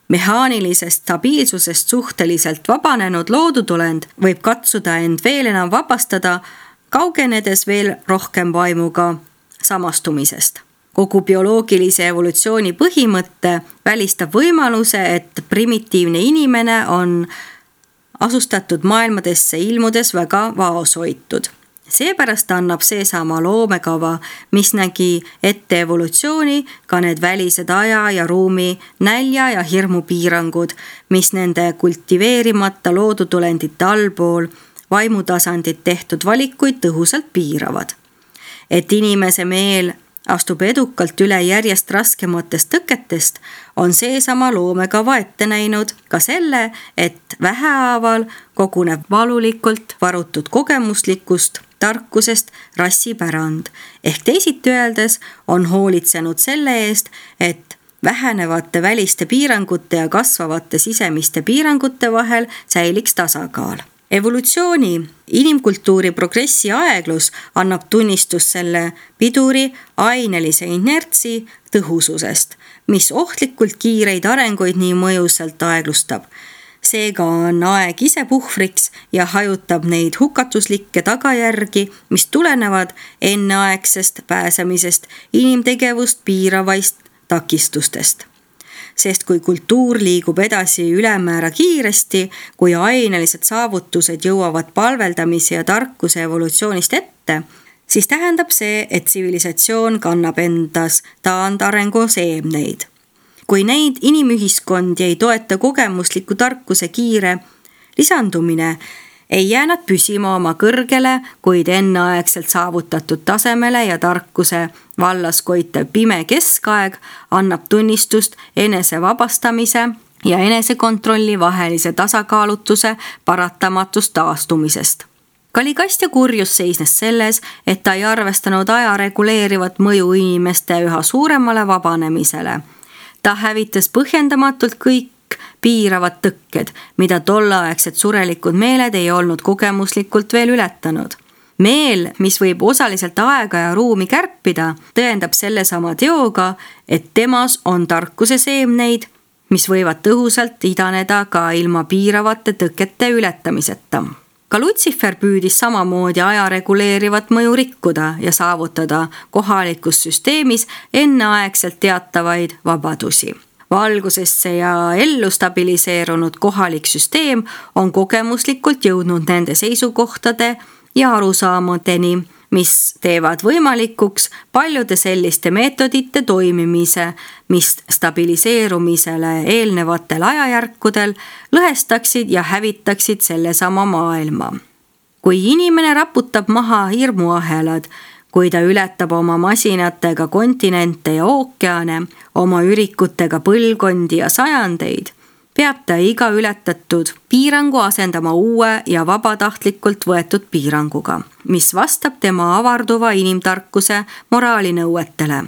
Mehaanilisest stabiilsusest suhteliselt vabanenud loodud olend võib katsuda end veel enam vabastada, kaugenedes veel rohkem vaimuga samastumisest. Kogu bioloogilise evolutsiooni põhimõtte välistab võimaluse, et primitiivne inimene on asustatud maailmadesse ilmudes väga vaoshoitud. Seepärast annab seesama loomekava, mis nägi ette evolutsiooni, ka need välised aja ja ruumi nälja ja hirmu piirangud, mis nende kultiveerimata loodud olendite allpool vaimutasandit tehtud valikuid tõhusalt piiravad. Et inimese meel astub edukalt üle järjest raskematest tõketest, on seesama loomekava ette näinud ka selle, et vähehaaval koguneb valulikult varutud kogemuslikust tarkusest rassipärand. Ehk teisiti öeldes on hoolitsenud selle eest, et vähenevate väliste piirangute ja kasvavate sisemiste piirangute vahel säiliks tasakaal. Evolutsiooni, inimkultuuri progressi aeglus annab tunnistust selle piduri ainelise inertsi tõhususest, mis ohtlikult kiireid arenguid nii mõjusalt aeglustab. Seega on aeg ise puhvriks ja hajutab neid hukatuslikke tagajärgi, mis tulenevad enneaegsest pääsemisest inimtegevust piiravaist takistustest. Sest kui kultuur liigub edasi ülemäära kiiresti, kui ainelised saavutused jõuavad palveldamise ja tarkuse evolutsioonist ette, siis tähendab see, et tsivilisatsioon kannab endas taandarengu seemneid. Kui neid inimühiskondi ei toeta kogemusliku tarkuse kiire lisandumine, ei jää nad püsima oma kõrgele, kuid enneaegselt saavutatud tasemele ja tarkuse vallas koitev pime keskaeg annab tunnistust enese vabastamise ja enesekontrolli vahelise tasakaalutuse paratamatust taastumisest. Kaligast ja kurjus seisnes selles, et ta ei arvestanud aja reguleerivat mõju inimeste üha suuremale vabanemisele. Ta hävitas põhjendamatult kõik piiravad tõkked, mida tollaegsed surelikud meeled ei olnud kogemuslikult veel ületanud. Meel, mis võib osaliselt aega ja ruumi kärpida, tõendab sellesama teoga, et temas on tarkuse seemneid, mis võivad tõhusalt idaneda ka ilma piiravate tõkete ületamiseta. Ka Lutsifer püüdis samamoodi aja reguleerivat mõju rikkuda ja saavutada kohalikus süsteemis enneaegselt teatavaid vabadusi. Valgusesse ja ellu stabiliseerunud kohalik süsteem on kogemuslikult jõudnud nende seisukohtade ja arusaamadeni, mis teevad võimalikuks paljude selliste meetodite toimimise, mis stabiliseerumisele eelnevatel ajajärkudel lõhestaksid ja hävitaksid sellesama maailma. Kui inimene raputab maha hirmuahelad, kui ta ületab oma masinatega kontinente ja ookeane, oma ürikutega põlvkondi ja sajandeid, peab ta iga ületatud piirangu asendama uue ja vabatahtlikult võetud piiranguga, mis vastab tema avarduva inimtarkuse moraalinõuetele.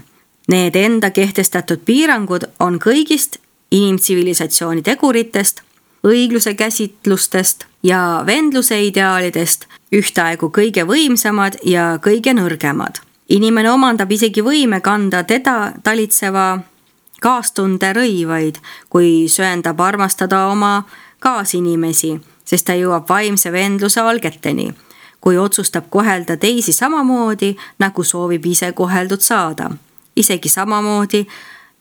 Need enda kehtestatud piirangud on kõigist inimtsivilisatsiooni teguritest, õigluse käsitlustest ja vendluse ideaalidest ühtaegu kõige võimsamad ja kõige nõrgemad. inimene omandab isegi võime kanda teda talitseva kaastunde rõivaid, kui söandab armastada oma kaasinimesi, sest ta jõuab vaimse vendluse algeteni, kui otsustab kohelda teisi samamoodi, nagu soovib ise koheldud saada, isegi samamoodi,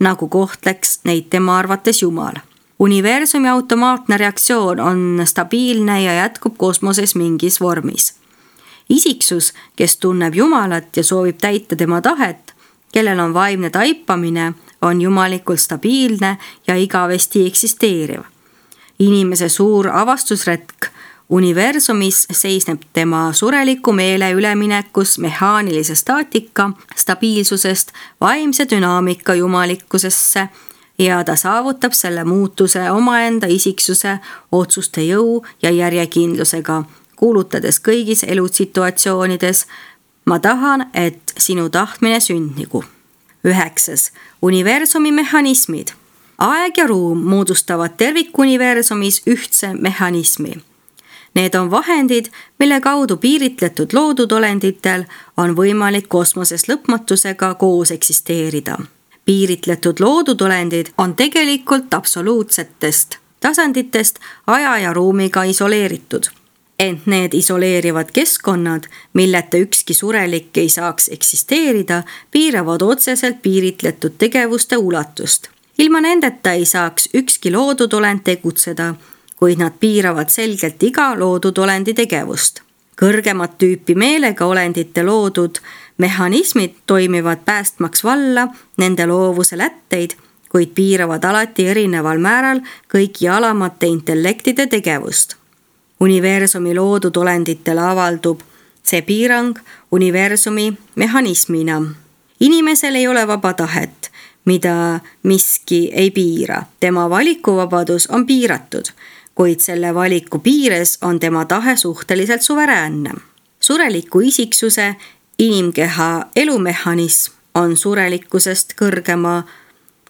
nagu kohtleks neid tema arvates Jumal. Universumi automaatne reaktsioon on stabiilne ja jätkub kosmoses mingis vormis. Isiksus, kes tunneb Jumalat ja soovib täita tema tahet, kellel on vaimne taipamine, on jumalikult stabiilne ja igavesti eksisteeriv. Inimese suur avastusretk universumis seisneb tema sureliku meele üleminekus mehaanilise staatika stabiilsusest vaimse dünaamika jumalikkusesse ja ta saavutab selle muutuse omaenda isiksuse otsuste jõu ja järjekindlusega, kuulutades kõigis elusituatsioonides: ma tahan, et sinu tahtmine sündnigu. Üheksas. Universumi mehhanismid. Aeg ja ruum moodustavad tervikuniversumis ühtse mehhanismi. Need on vahendid, mille kaudu piiritletud loodud olenditel on võimalik kosmoses lõpmatusega koos eksisteerida. Piiritletud loodud olendid on tegelikult absoluutsetest tasanditest aja ja ruumiga isoleeritud. Ent need isoleerivad keskkonnad, milleta ükski surelik ei saaks eksisteerida, piiravad otseselt piiritletud tegevuste ulatust. Ilma nendeta ei saaks ükski loodud olend tegutseda, kuid nad piiravad selgelt iga loodud olendi tegevust. Kõrgemat tüüpi meelega olendite loodud mehhanismid toimivad päästmaks valla nende loovuse lätteid, kuid piiravad alati erineval määral kõigi alamate intellektide tegevust. Universumi loodud olenditele avaldub see piirang universumi mehhanismina. Inimesel ei ole vaba tahet, mida miski ei piira. Tema valikuvabadus on piiratud, kuid selle valiku piires on tema tahe suhteliselt suveräänne. Sureliku isiksuse inimkeha elumehhanism on surelikkusest kõrgema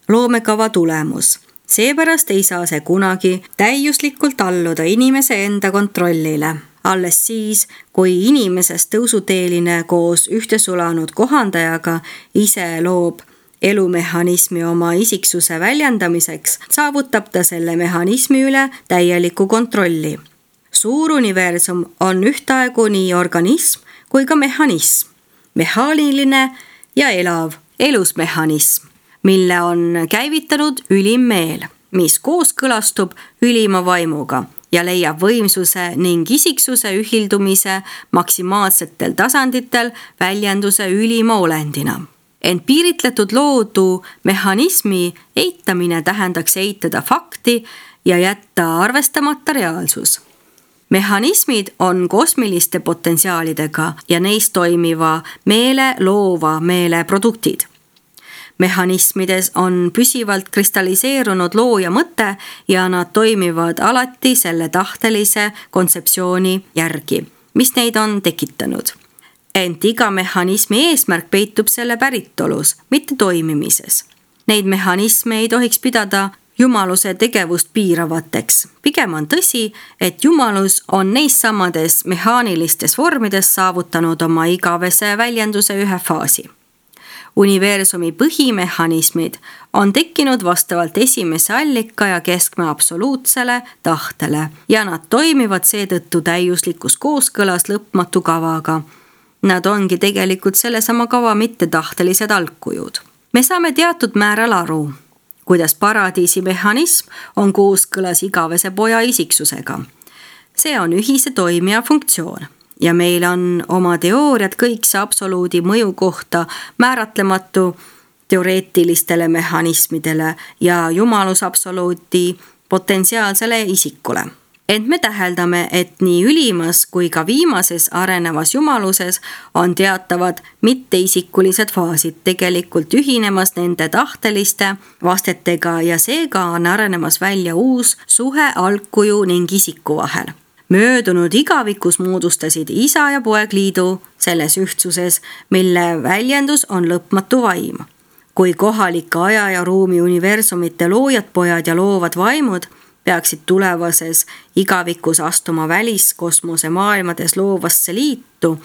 loomekava tulemus. Seepärast ei saa see kunagi täiuslikult alluda inimese enda kontrollile. Alles siis, kui inimesest tõusuteeline koos ühtesulanud kohandajaga ise loob elumehhanismi oma isiksuse väljendamiseks, saavutab ta selle mehhanismi üle täieliku kontrolli. Suur universum on ühtaegu nii organism kui ka mehhanism, mehaaniline ja elav elusmehhanism, mille on käivitanud ülim meel, mis kooskõlastub ülima vaimuga ja leiab võimsuse ning isiksuse ühildumise maksimaalsetel tasanditel väljenduse ülima olendina. Ent piiritletud loodu mehhanismi eitamine tähendaks eitada fakti ja jätta arvestamata reaalsus. Mehhanismid on kosmiliste potentsiaalidega ja neis toimiva meele loova meele produktid. Mehhanismides on püsivalt kristalliseerunud looja mõte ja nad toimivad alati selle tahtelise kontseptsiooni järgi, mis neid on tekitanud. Ent iga mehhanismi eesmärk peitub selle päritolus, mitte toimimises. Neid mehhanisme ei tohiks pidada jumaluse tegevust piiravateks. Pigem on tõsi, et jumalus on neis samades mehaanilistes vormides saavutanud oma igavese väljenduse ühe faasi. Universumi põhimehhanismid on tekkinud vastavalt esimese allika ja keskme absoluutsele tahtele ja nad toimivad seetõttu täiuslikus kooskõlas lõpmatu kavaga. Nad ongi tegelikult sellesama kava mittetahtelised algkujud. Me saame teatud määral aru, kuidas paradiisi mehhanism on kooskõlas igavese poja isiksusega. See on ühise toimija funktsioon. Ja meil on oma teooriad kõikse absoluudi mõju kohta määratlematu teoreetilistele mehhanismidele ja jumalus absoluudi potentsiaalsele isikule. Ent me täheldame, et nii ülimas kui ka viimases arenevas jumaluses on teatavad mitteisikulised faasid tegelikult ühinemas nende tahteliste vastetega ja seega on arenemas välja uus suhe algkuju ning isiku vahel. Möödunud igavikus moodustasid isa ja poeg liidu selles ühtsuses, mille väljendus on lõpmatu vaim. Kui kohalike aja ja ruumi universumite loojad pojad ja loovad vaimud peaksid tulevases igavikus astuma väliskosmose maailmades loovasse liitu,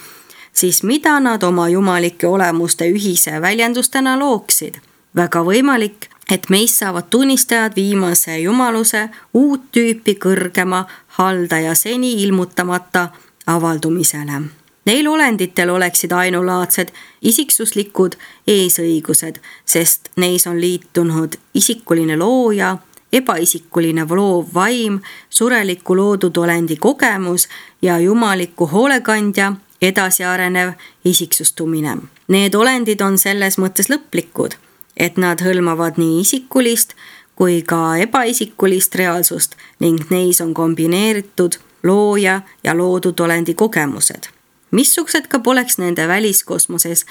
siis mida nad oma jumalike olemuste ühise väljendustena looksid? Väga võimalik, et meist saavad tunnistajad viimase jumaluse uut tüüpi kõrgema haldaja seni ilmutamata avaldumisele. Neil olenditel oleksid ainulaadsed isiksuslikud eesõigused, sest neis on liitunud isikuline looja, ebaisikuline loov vaim, sureliku loodud olendi kogemus ja jumaliku hoolekandja edasiarenev isiksustumine. Need olendid on selles mõttes lõplikud, et nad hõlmavad nii isikulist kui ka ebaisikulist reaalsust ning neis on kombineeritud looja ja loodud olendi kogemused. Missugused ka poleks nende väliskosmoses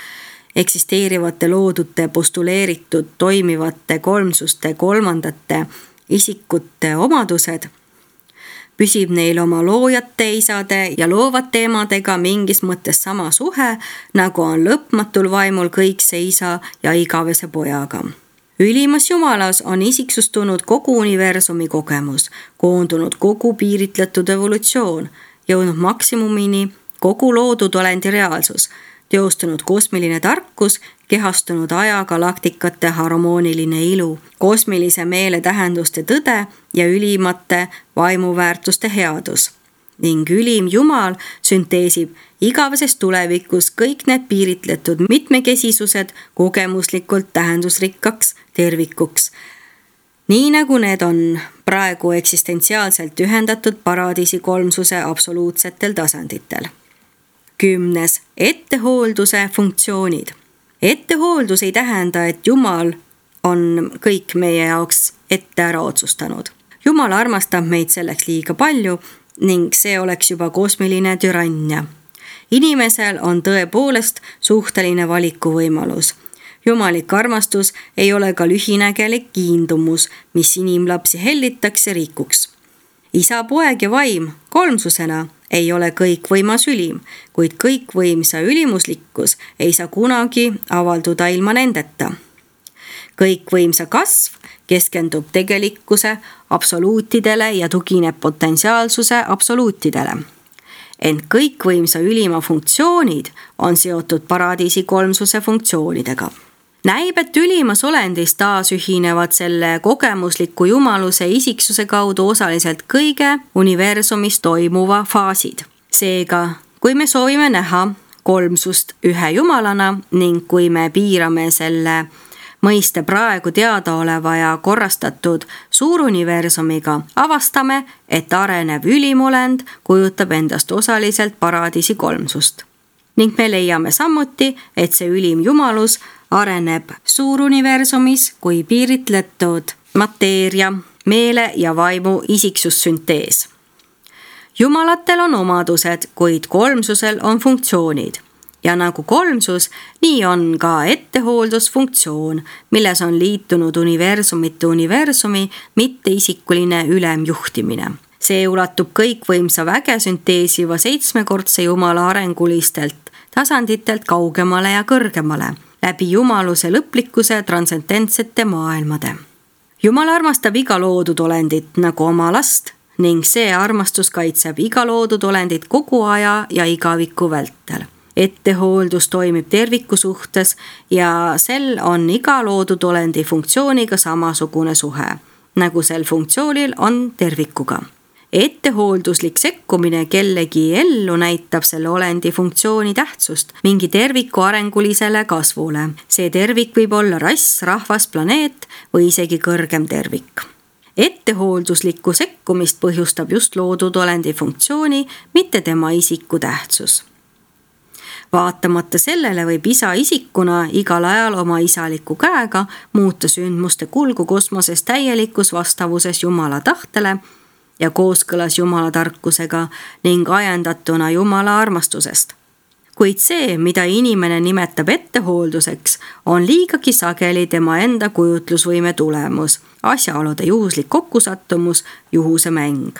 eksisteerivate loodute postuleeritud toimivate kolmsuste kolmandate isikute omadused, püsib neil oma loojate isade ja loovate emadega mingis mõttes sama suhe, nagu on lõpmatul vaimul kõikse isa ja igavese pojaga. Ülimas jumalas on isiksustunud kogu universumi kogemus, koondunud kogu piiritletud evolutsioon, jõudnud maksimumini kogu loodud olendi reaalsus, teostunud kosmiline tarkus, kehastunud aja galaktikate harmooniline ilu, kosmilise meele tähenduste tõde ja ülimate vaimuväärtuste headus. Ning ülim Jumal sünteesib igaveses tulevikus kõik need piiritletud mitmekesisused kogemuslikult tähendusrikkaks tervikuks, nii nagu need on praegu eksistentsiaalselt ühendatud paradiisi kolmsuse absoluutsetel tasanditel. Kümnes, ettehoolduse funktsioonid. Ettehooldus ei tähenda, et Jumal on kõik meie jaoks ette ära otsustanud. Jumal armastab meid selleks liiga palju ning see oleks juba kosmiline türannia. Inimesel on tõepoolest suhteline valikuvõimalus. Jumalik armastus ei ole ka lühinägelik kiindumus, mis inimlapsi hellitakse rikuks. Isa, poeg ja vaim kolmsusena ei ole kõikvõimas ülim, kuid kõikvõimsa ülimuslikkus ei saa kunagi avalduda ilma nendeta. Kõikvõimsa kasv keskendub tegelikkuse absoluutidele ja tugineb potentsiaalsuse absoluutidele. Ent kõikvõimsa ülima funktsioonid on seotud paradiisi kolmsuse funktsioonidega. Näib, et ülimas olendis taas ühinevad selle kogemusliku jumaluse isiksuse kaudu osaliselt kõige universumis toimuva faasid. Seega, kui me soovime näha kolmsust ühe jumalana ning kui me piirame selle mõiste praegu teadaoleva ja korrastatud suuruniversumiga, avastame, et arenev ülimolend kujutab endast osaliselt paradiisi kolmsust. Ning me leiame samuti, et see ülim jumalus areneb suuruniversumis kui piiritletud mateeria, meele ja vaimu isiksussüntees. Jumalatel on omadused, kuid kolmsusel on funktsioonid. Ja nagu kolmsus, nii on ka ettehooldusfunktsioon, milles on liitunud universumite universumi mitteisikuline ülemjuhtimine. See ulatub kõikvõimsa väge sünteesiva seitsmekordse Jumala arengulistelt tasanditelt kaugemale ja kõrgemale, läbi jumaluse lõplikkuse transcendentsete maailmade. Jumal armastab iga loodud olendit nagu oma last ning see armastus kaitseb iga loodud olendit kogu aja ja igaviku vältel. Ettehooldus toimib terviku suhtes ja sel on iga loodud olendi funktsiooniga samasugune suhe, nagu sel funktsioonil on tervikuga. Ettehoolduslik sekkumine kellegi ellu näitab selle olendi funktsiooni tähtsust mingi terviku arengulisele kasvule. See tervik võib olla rass, rahvas, planeet või isegi kõrgem tervik. Ettehoolduslikku sekkumist põhjustab just loodud olendi funktsiooni, mitte tema isiku tähtsus. Vaatamata sellele võib isa isikuna igal ajal oma isaliku käega muuta sündmuste kulgu kosmoses täielikus vastavuses Jumala tahtele ja kooskõlas Jumala tarkusega ning ajendatuna Jumala armastusest. Kuid see, mida inimene nimetab ettehoolduseks, on liigagi sageli tema enda kujutlusvõime tulemus, asjaolude juhuslik kokkusattumus, juhuse mäng.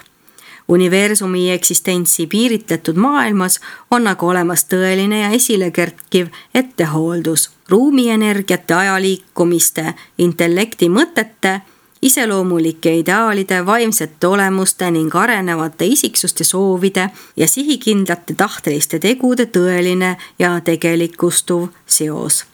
Universumi eksistentsi piiritletud maailmas on aga olemas tõeline ja esile kerkiv ettehooldus, ruumienergiate, ajaliikumiste, intellekti mõtete iseloomulike ideaalide, vaimsete olemuste ning arenevate isiksuste soovide ja sihikindlate tahteliste tegude tõeline ja tegelikustuv seos.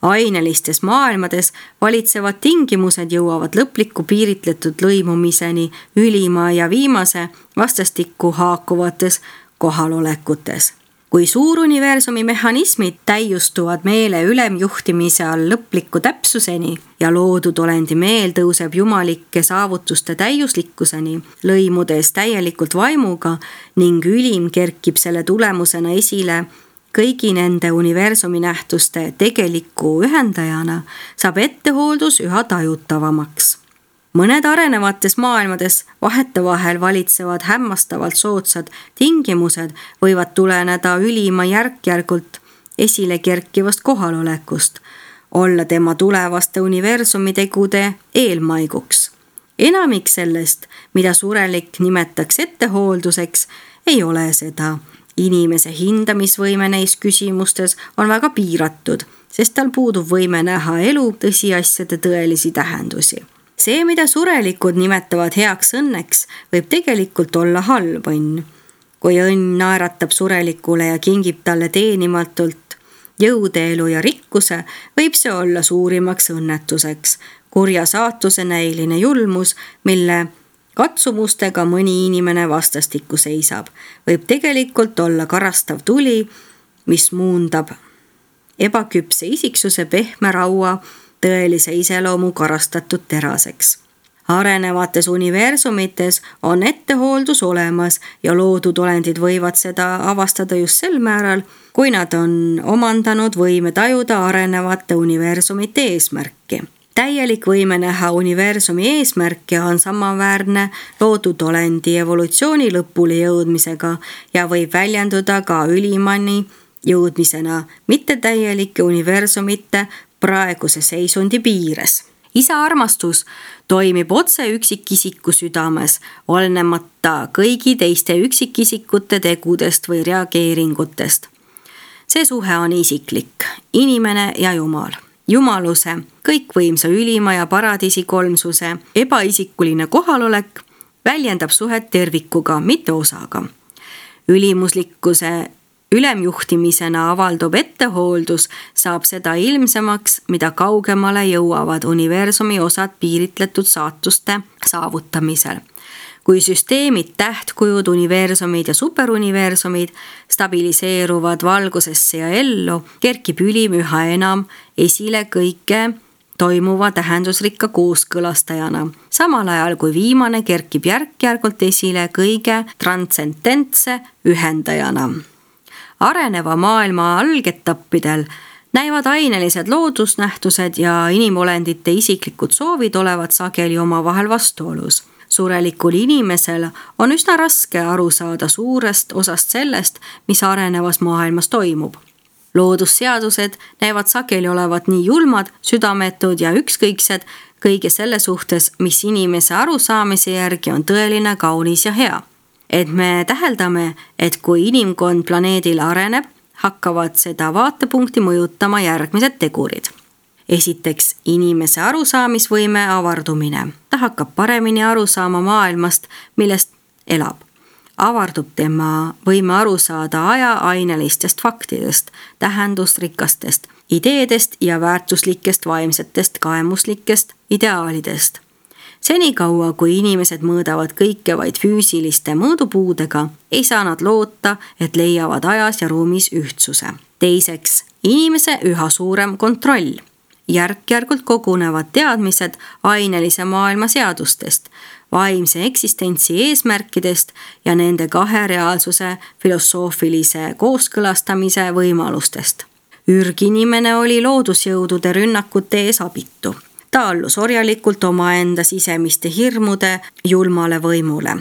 Ainelistes maailmades valitsevad tingimused jõuavad lõpliku piiritletud lõimumiseni ülima ja viimase vastastikku haakuvates kohalolekutes. Kui suuruniversumi mehhanismid täiustuvad meele ülemjuhtimise all lõpliku täpsuseni ja loodud olendi meel tõuseb jumalike saavutuste täiuslikkuseni, lõimudes täielikult vaimuga ning ülim kerkib selle tulemusena esile kõigi nende universumi nähtuste tegeliku ühendajana, saab ettehooldus üha tajutavamaks. Mõned arenevates maailmades vahetevahel valitsevad hämmastavalt soodsad tingimused võivad tuleneda ülima järk-järgult esile kerkivast kohalolekust, olla tema tulevaste universumi tegude eelmaiguks. Enamik sellest, mida surelik nimetaks ettehoolduseks, ei ole seda. Inimese hindamisvõime neis küsimustes on väga piiratud, sest tal puudub võime näha elu tõsiasjade tõelisi tähendusi. See, mida surelikud nimetavad heaks õnneks, võib tegelikult olla halb õnn. Kui õnn naeratab surelikule ja kingib talle teenimatult jõude, elu ja rikkuse, võib see olla suurimaks õnnetuseks. Kurja saatuse näiline julmus, mille katsumustega mõni inimene vastastikku seisab, võib tegelikult olla karastav tuli, mis muundab ebaküpse isiksuse pehme raua tõelise iseloomu karastatud teraseks. Arenevates universumites on ettehooldus olemas ja loodud olendid võivad seda avastada just sel määral, kui nad on omandanud võime tajuda arenevate universumite eesmärki. Täielik võime näha universumi eesmärke on samaväärne loodud olendi evolutsiooni lõpule jõudmisega ja võib väljenduda ka ülimani jõudmisena mitte täielike universumite praeguse seisundi piires. Isa armastus toimib otse üksikisiku südames, olenemata kõigi teiste üksikisikute tegudest või reageeringutest. See suhe on isiklik, inimene ja Jumal. Jumaluse, kõikvõimsa ülima ja paradiisi kolmsuse, ebaisikuline kohalolek väljendab suhet tervikuga, mitte osaga. Ülimuslikkuse ülemjuhtimisena avaldub ettehooldus, saab seda ilmsemaks, mida kaugemale jõuavad universumi osad piiritletud saatuste saavutamisel. Kui süsteemid, tähtkujud, universumid ja superuniversumid stabiliseeruvad valgusesse ja ellu, kerkib ülim üha enam esile kõike toimuva tähendusrikka kooskõlastajana, samal ajal kui viimane kerkib järk-järgult esile kõige transcendentse ühendajana. Areneva maailma algetappidel näivad ainelised loodusnähtused ja inimolendite isiklikud soovid olevat sageli omavahel vastuolus. Surelikul inimesel on üsna raske aru saada suurest osast sellest, mis arenevas maailmas toimub. Loodusseadused näevad sageli olevat nii julmad, südametud ja ükskõiksed kõige selle suhtes, mis inimese arusaamise järgi on tõeline, kaunis ja hea. Et me täheldame, et kui inimkond planeedil areneb, hakkavad seda vaatepunkti mõjutama järgmised tegurid. Esiteks, inimese arusaamisvõime avardumine. Ta hakkab paremini aru saama maailmast, millest elab. Avardub tema võime aru saada aja ainelistest faktidest, tähendusrikastest, ideedest ja väärtuslikest vaimsetest kaemuslikest ideaalidest. Senikaua, kui inimesed mõõdavad kõike vaid füüsiliste mõõdupuudega, ei saa nad loota, et leiavad ajas ja ruumis ühtsuse. Teiseks, inimese üha suurem kontroll. Järk-järgult kogunevad teadmised ainelise maailma seadustest, vaimse eksistentsi eesmärkidest ja nende kahe reaalsuse filosoofilise kooskõlastamise võimalustest. Ürginimene oli loodusjõudude rünnakute ees abitu. Ta allus orjalikult omaenda sisemiste hirmude julmale võimule.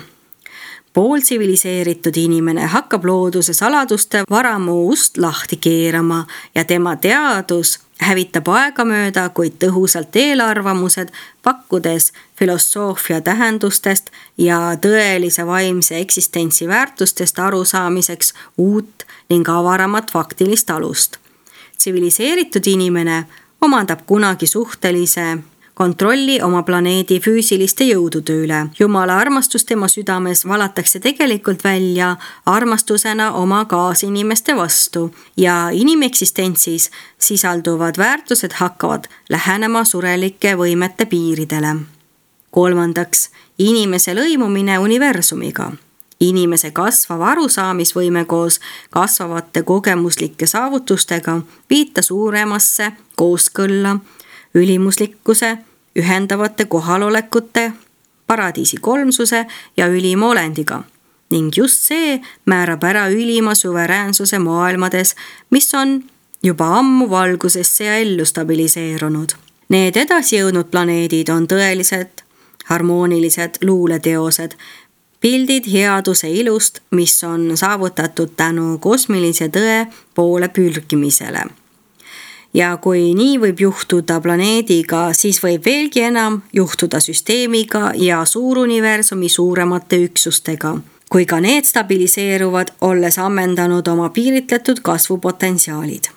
Pooltsiviliseeritud inimene hakkab looduse saladuste varamu ust lahti keerama ja tema teadus hävitab aegamööda, kuid tõhusalt eelarvamused, pakkudes filosoofia tähendustest ja tõelise vaimse eksistentsi väärtustest arusaamiseks uut ning avaramat faktilist alust. Tsiviliseeritud inimene omandab kunagi suhtelise kontrolli oma planeedi füüsiliste jõudude üle. Jumala armastus tema südames valatakse tegelikult välja armastusena oma kaasinimeste vastu ja inimeksistentsis sisalduvad väärtused hakkavad lähenema surelike võimete piiridele. Kolmandaks, inimese lõimumine universumiga. Inimese kasvav arusaamisvõime koos kasvavate kogemuslike saavutustega viita suuremasse kooskõlla, ülimuslikkuse, ühendavate kohalolekute, paradiisi kolmsuse ja ülima olendiga. Ning just see määrab ära ülima suveräänsuse maailmades, mis on juba ammu valgusesse ja ellu stabiliseerunud. Need edasi jõudnud planeedid on tõelised, harmoonilised luuleteosed, pildid headuse ilust, mis on saavutatud tänu kosmilise tõe poole pürgimisele. Ja kui nii võib juhtuda planeediga, siis võib veelgi enam juhtuda süsteemiga ja suuruniversumi suuremate üksustega, kui ka need stabiliseeruvad, olles ammendanud oma piiritletud kasvupotentsiaalid.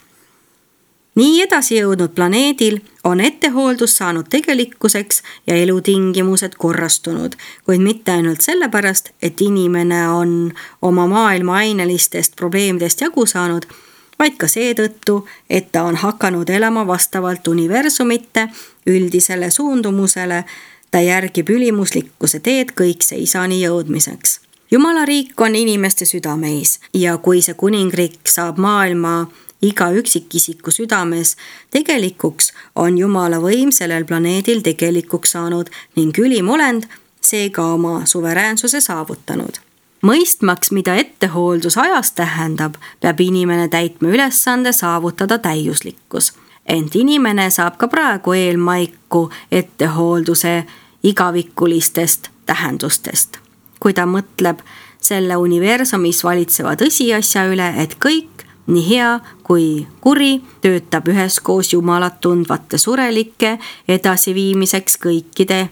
Nii edasi jõudnud planeedil on ettehooldus saanud tegelikkuseks ja elutingimused korrastunud, kuid mitte ainult sellepärast, et inimene on oma maailma ainelistest probleemidest jagu saanud, vaid ka seetõttu, et ta on hakanud elama vastavalt universumite üldisele suundumusele, ta järgib ülimuslikkuse teed kõikse isani jõudmiseks. Jumala riik on inimeste südameis ja kui see kuningriik saab maailma iga üksikisiku südames tegelikuks, on Jumala võim sellel planeedil tegelikuks saanud ning ülim olend seega oma suveräänsuse saavutanud. Mõistmaks, mida ettehooldus ajas tähendab, peab inimene täitma ülesande saavutada täiuslikkus. Ent inimene saab ka praegu eelmaiku ettehoolduse igavikulistest tähendustest. Kui ta mõtleb selle universumis valitseva tõsiasja üle, et kõik, nii hea kui kuri, töötab üheskoos Jumalat tundvate surelike edasiviimiseks kõikide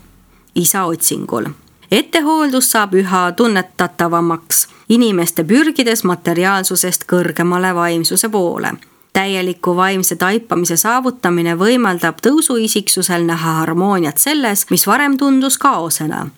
isa otsingul. Ettehooldus saab üha tunnetatavamaks inimeste pürgides materiaalsusest kõrgemale vaimsuse poole. Täieliku vaimse taipamise saavutamine võimaldab tõusuisiksusel näha harmooniat selles, mis varem tundus kaosena.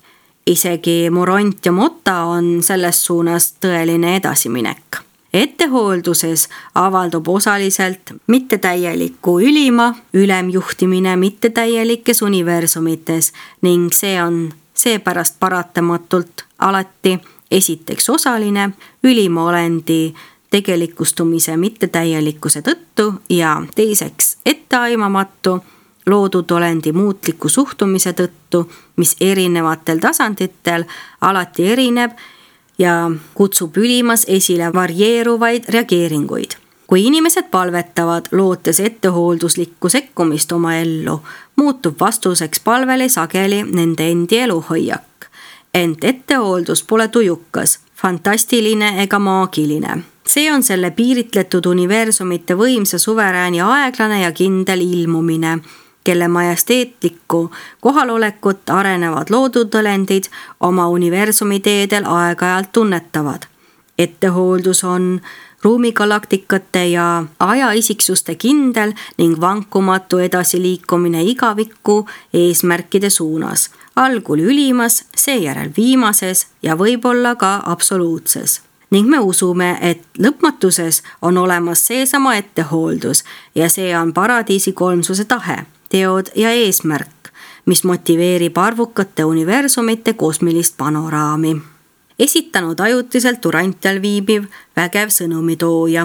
Isegi Moront ja Mota on selles suunas tõeline edasiminek. Ettehoolduses avaldub osaliselt mittetäieliku ülima ülemjuhtimine mittetäielikes universumites ning see on seepärast paratamatult alati esiteks osaline ülima olendi tegelikustumise mittetäielikkuse tõttu ja teiseks etteaimamatu loodud olendi muutliku suhtumise tõttu, mis erinevatel tasanditel alati erineb ja kutsub ülimas esile varieeruvaid reageeringuid. Kui inimesed palvetavad, lootes ettehoolduslikku sekkumist oma ellu, muutub vastuseks palvele sageli nende endi eluhoiak. Ent ettehooldus pole tujukas, fantastiline ega maagiline. See on selle piiritletud universumite võimsa suverääni aeglane ja kindel ilmumine, kelle majesteetlikku kohalolekut arenevad loodutõlendid oma universumi teedel aeg-ajalt tunnetavad. Ettehooldus on ruumigalaktikate ja ajaisiksuste kindel ning vankumatu edasiliikumine igavikku eesmärkide suunas, algul ülimas, seejärel viimases ja võib-olla ka absoluutses. Ning me usume, et lõpmatuses on olemas seesama ettehooldus ja see on paradiisi kolmsuse tahe, teod ja eesmärk, mis motiveerib arvukate universumite kosmilist panoraami. Esitanud ajutiselt Urantial viibiv vägev sõnumitooja.